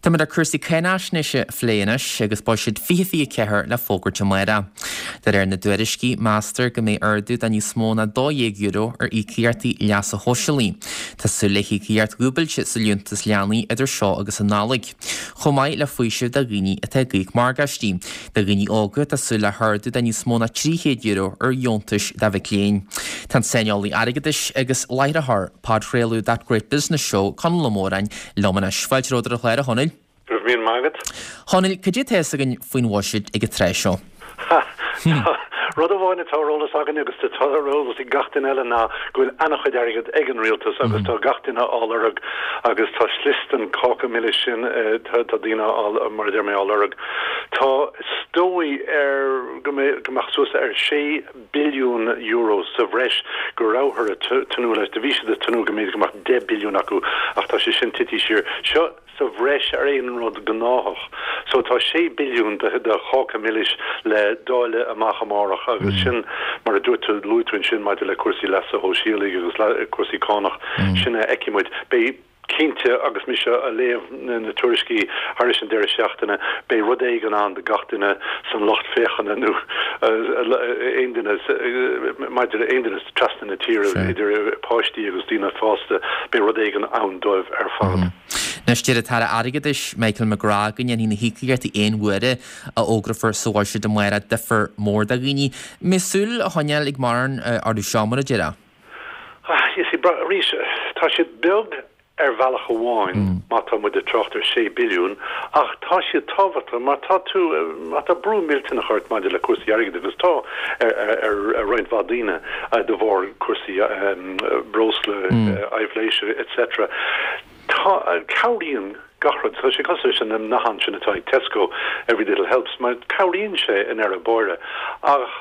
Táimid ar cúrsaí cáinaisnéise a phlé anois agus Buiséad 2024 le fógairt amárach. De réir na dtuairiscí, meastar go mbeidh ardú de níos mó ná €12 ar íocaíochtaí leasa shóisialaigh. Tá súil le híocaíocht dhúbailte sa liúntas leanaí idir seo agus an Nollaig, chomh maith le faoiseamh do dhaoine atá ag íoc morgáistí. Do dhaoine óga, tá súil le hardú de níos mó ná €300 ar dheontais do mhic léinn. Tá an saineolaí airgeadais agus láithreoir podchraoladh That Great Business Show, Conall Ó Móráin, liom anois. Fáilte romhat ar an chlár, a Chonaill. Go raibh míle maith agat. Chonaill, cad é atá fhios againn faoin bhuiséad ag an tráth seo? Ha! Rud amháin atá ar eolas againn agus atá ar eolas ag gach duine eile ná go bhfuil an-chuid airgid ag an rialtas agus tá gach duine á lorg agus tá slios den cáca milis sin, tá daoine á, mar a deir mé, á lorg. Tá is dóigh ar go mbeidh, go mbeadh suas ar €6 billiún sa bhreis go rabhthar ag tnúth leis. Do bhí siad ag tnúth go mb'fhéidir go mbeadh 10 billiún acu ach tá sé sin tití siar. Seo sa bhreis ar aon rud gnáthach. So tá 6 billiún de cháca milis le dáileadh amach amárach agus sin mar a dúirt tú, luaigh tú ansin maidir le cúrsaí leasa shóisialaigh agus cúrsaí cánach, sin a fheicfidh muid. Beidh. Cinnte, agus mise a' léamh na tuairiscí thairis an deireadh seachtaine, beidh rud éigin ann do gach duine san lucht féachana nó aon duine, maidir le aon duine trasna na tíre, idir páistí agus daoine fásta, beidh rud éigin ann dóibh ar fad. Anois, deir an tAire Airgeadais, Michael McGrath, go ndéanfaidh na híocaíochtaí aon uaire a fhógrófar sa bhuiséad amárach difear mór do dhaoine. Mbeidh súil a choinneáil ag mórán orthu seo, mar a déarfá? You see, arís, tá siad beag ar bhealach amháin má tá muid ag trácht ar 6 billiún, ach tá siad tábhachtach mar tá tú, má tá brú millteanach ort maidir le cúrsaí airgid, agus tá ar roinnt mhaith daoine de bharr cúrsaí breosla, aibhléise etc. Tá, cabhraíonn gach rud. Tá sé cosúil leis an nathán sin atá ag Tesco, every little helps, mar cabhraíonn sé i ndeireadh báire. Ach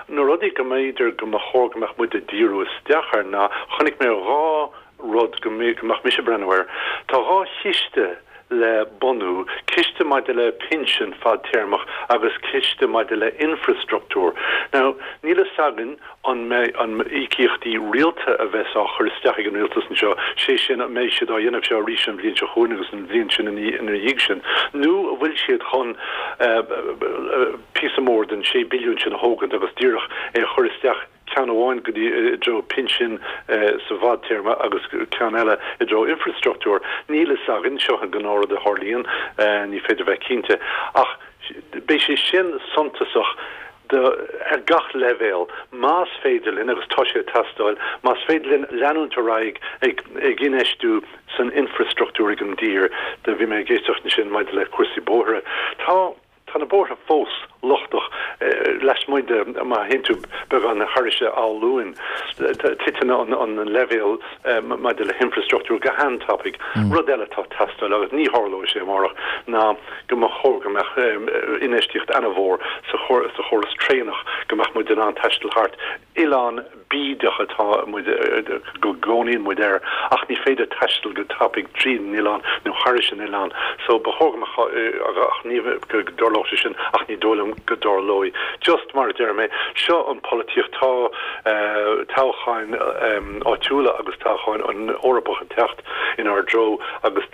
na rudaí go mb'fhéidir go mba chóir go mbeadh muid ag díriú isteach air ná, chonaic mé dhá rud go mbeadh mise ag breathnú air. Tá dhá chiste le bunú, ciste maidir le pinsin fadtéarmach agus ciste maidir le infreastruchtúr. Now, níl fhios againn an mbeidh an íocaíochtaí rialta a bheas á chur isteach ag an rialtas anseo, sé sin, an mbeidh siad á dhéanamh seo arís an bhliain seo chugainn agus an bhliain sin ina dhiaidh sin, nó an bhfuil siad chun píosa mór den 6 billiún sin a thógaint agus díreach é a chur isteach ceann amháin go dtí i dtreo pinsin sa bhfadtéarma agus ceann eile i dtreo infreastruchtúr. Níl fhios againn, seo an gnáthrud a tharlaíonn, ní féidir bheith cinnte, ach beidh sé sin suntasach do, ar gach leibhéal, más féidir linn, agus tá sé ag teastáil, más féidir linn leanúint ar aghaidh ag, ag infheistiú san infreastruchtúr ag an dtír. Do bhí mé ag éisteacht ansin maidir le cúrsaí bóithre. Tá, tá na bóithre fós lochtach lasmuigh de, má théann tú beagán thairis Áth Luain, titeann an, an leibhéal maidir le hinfreastruchtúr go han-tapaidh. Rud eile atá ag teastáil, agus ní tharlóidh sé amárach, ná go mba chóir go mbeadh infheistíocht ana-mhór sa chóras traenach, go mbeadh muid in ann taisteal thart. Oileán bídeach atá muid, go gcónaíonn muid air, ach ní féidir taisteal go tapaidh tríd an oileán nó thairis an oileán. So ba chóir go mbeadh, ach ní, go dtarlódh sé sin, ach ní dóigh liom go dtarlóidh. Just mar a deir mé, seo an pholaitíocht, tá toghcháin áitiúla agus toghcháin an Eorpach ag teacht inár dtreo agus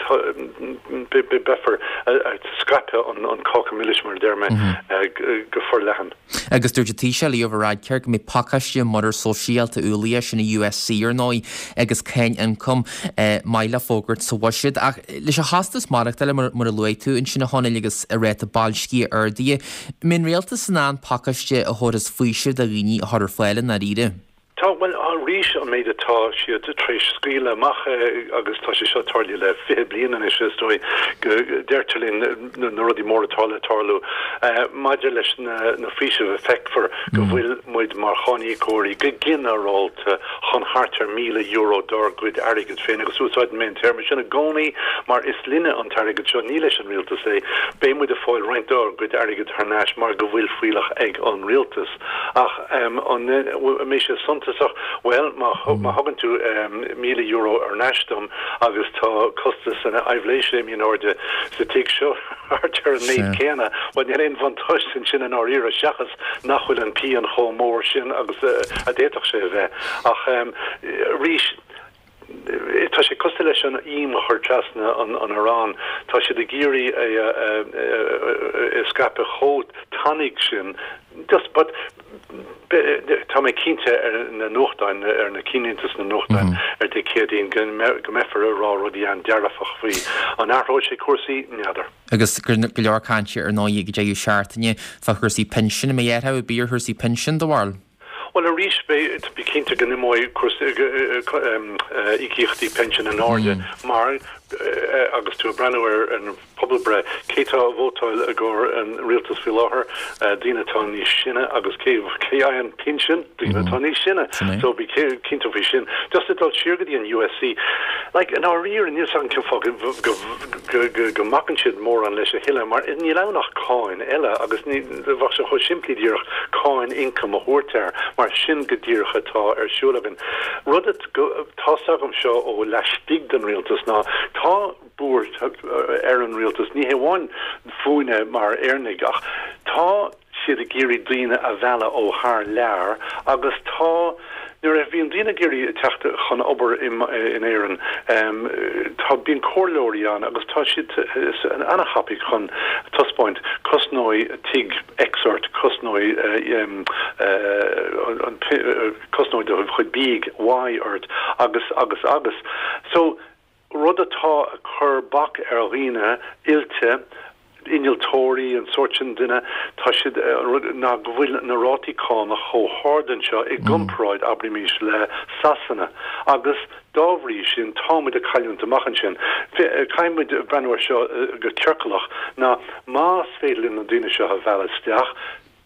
beifear ag scaipeadh an cáca milis, mar a deir mé, go forleathan. Agus dúirt an Taoiseach Leo Varadkar go mbeidh pacáiste muirear sóisialta ualaithe, sin an USC ar ndóigh, agus cáin ioncaim maith le fógairt sa bhuiséad. Ach leis an chostas maireachtála, mar a luaigh tú ansin a Chonaill, agus an ráta boilscithe ardaithe, an mbeidh an rialtas in ann pacáiste a thabharfas faoiseamh do dhaoine a chur ar fáil i ndáiríre? Tá, bhuel, arís, an méid atá siad tar éis scaoileadh amach, agus tá sé seo tarlaithe le 20 bliain anois, is dóigh, go deirtear linn na rudaí móra atá le tarlú. Maidir leis na faoisimh, feicfear go bhfuil muid mar cháiníocóirí go ginearálta chun thart ar €1,000 dár gcuid airgid féin, agus úsáideann mé an téarma sin i gcónaí mar is linne an t-airgead seo, ní leis an rialtas é. Beidh muid ag fáil roinnt dár gcuid airgid thar n-ais mar go bhfuil fuílleach ag an rialtas. Ach an mbeidh sé suntasach? Bhuel, má thugann tú €1,000 ar n-ais dom agus tá costas na haibhléise imithe in airde sa tigh seo thart ar an méid céanna, bhuel, níl aon bhuntáiste ansin i ndáiríre seachas nach bhfuil an pian chomh mór sin agus a d'fhéadfadh sé a bheith. Ach arís. Tá sé cosúil leis an ím a chur trasna an aráin. Tá siad ag iarraidh é a scaipeadh chomh tanaí sin. Just, but, tá mé cinnte ar na nuachtáin, ar na cinnlínte sna nuachtáin ar Dé Céadaoin go mbeifear ag rá rudaí an-dearfach faoi. An athróidh sé cúrsaí? N'fheadar. Agus go leor cainte ar ndóigh ag deireadh seachtaine fá chúrsaí pinsin. An mbeidh athrú ar bith ar chúrsaí pinsin, do bharúil? Bhuel, arís, bí cinnte go n-imeoidh cúrsaí íocaíochtaí pinsin in airde mar, agus tú ag breathnú ar an bpobalbhreith, cé tá ag vótáil i gcomhair an rialtas faoi láthair? Daoine atá níos sine agus cé a fhaigheann pinsean? Daoine atá níos sine. So bí cinnte faoi sin. Just ag dul siar go dtí an USC, like, i ndáiríre, níl 's agam cén fáth go go mbacann siad mórán leis a thuilleadh mar níl ann ach cáin eile agus ní bheadh sé chomh simplí díreach cáin ioncaim a thabhairt air mar sin go díreach atá ar siúl againn. Rud atá's agam seo ó laistigh den rialtas ná tá buairt ar an rialtas, ní hé amháin fúinne mar Éireannaigh ach tá siad ag iarraidh daoine a mhealladh ó thar lear agus tá, nuair a bhíonn daoine ag iarraidh teacht chun obair in Éirinn, tá, bíonn comhairleoirí ann agus tá siad ana-thapaidh chun taispeáint, cosnóidh tigh X ort, cosnóidh an, cosnóidh do chuid bídh Y ort agus, agus, agus. So. rud atá ag cur bac ar dhaoine oilte, innealtóirí, an sórt sin duine, tá siad, ná go bhfuil na rátaí cánach chomh hard anseo i gcomparáid, abraímis, le Sasana agus dá bhrí sin tá muid ag cailliúint amach ansin. Caithfidh muid breathnú air seo go ciorclach, ná más féidir linn na daoine seo a mhealladh isteach,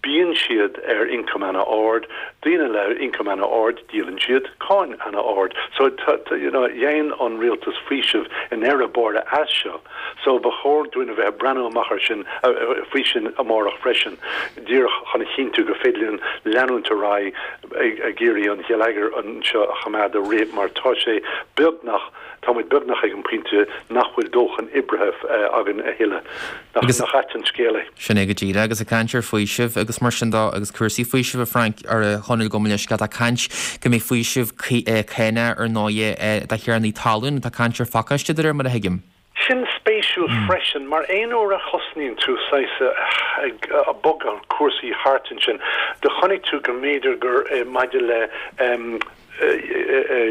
Bíonn siad ar ioncam ana-ard, daoine le ioncam ana-ard, díolann siad cáin ana-ard. So, you know, dhein an rialtas faoiseamh i ndeireadh báire as seo. So, ba chóir dúinn a bheith ag breathnú amach ar sin, faoi sin amárach freisin, díreach chun a chinntiú go féidir linn leanúint ar aghaidh ag iarraidh an gheilleagar anseo a choimeád ag rith mar tá sé beagnach, Tá muid beagnach ag an bpointe nach bhfuil dóthain oibrithe againn a thuilleadh. Nach ait an scéal é? Sin é go díreach. Agus ag caint ar faoiseamh agus mar sin de agus cúrsaí faoisimh, a Frank, ar a Chonaill gabh mo leithscéal, tá caint go mbeidh faoiseamh cánach ar ndóighe do thiarnaí talún. Tá caint ar phacáiste de réir mar a thuigim. Sin spéisiúil freisin, mar aon uair a thosnaíonn tú saghas ag bogadh cúrsaí thart ansin, do chonaic tú go mb'fhéidir gur maidir le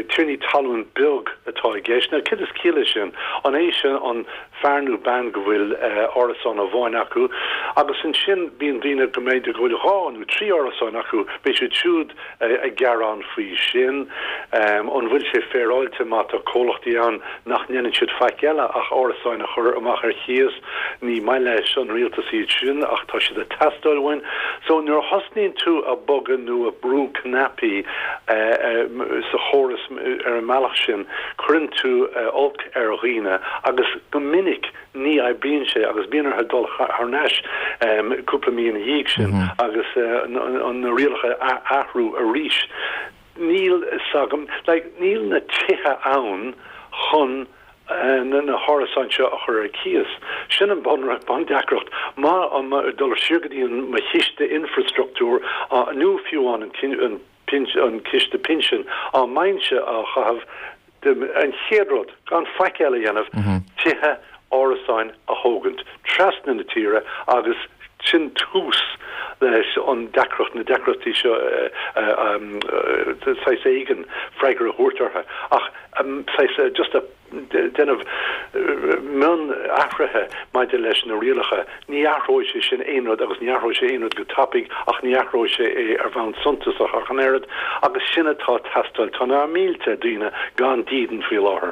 tiarnaí talún beag atá i gceist. Now, céard is ciall leis sin? An é sin an fear nó bean go bhfuil árasán amháin acu? Agus ansin bíonn daoine go mb'fhéidir go bhfuil dhá nó trí árasán acu, beidh siad siúd ag gearán faoi sin. An bhfuil sé féaráilte má tá comhlachtaí ann nach ndéanann siad faic eile ach árasáin a chur amach ar chíos? Ní maith leis an rialtas iad sin ach tá siad ag teastáil uainn. So nuair a thosnaíonn tú ag bogadh nó ag brú cnaipí sa chóras ar an mbealach sin, cuireann tú olc ar dhaoine agus go minic, Ní oibríonn sé agus bíonn orthu dul thar n-ais cúpla mí ina dhiaidh sin agus na rialacha a athrú arís. Níl 'fhios agam, like, níl na tithe ann chun na hárasáin seo a chur ar cíos. Sin an bundeacracht. Má, dul siar go dtí an mo chiste infreastruchtúir nó fiú amháin an an ciste pinsin, á mbeinnse á chaitheamh, An chéad rud, gan faic eile a dhéanamh, tithe árasáin a thógaint trasna na tíre agus sin tús leis an deacracht, na deacrachtaí seo saghas éigin freagra a thabhairt orthu. Ach saghas just a déanamh mionathruithe maidir leis na rialacha, ní athróidh sé sin aon rud agus ní athróidh sé aon rud go tapaidh ach ní athróidh sé é ar bhonn suntasach ach an oiread agus sin atá ag teastáil. Tá na mílte daoine gan dídean faoi láthair.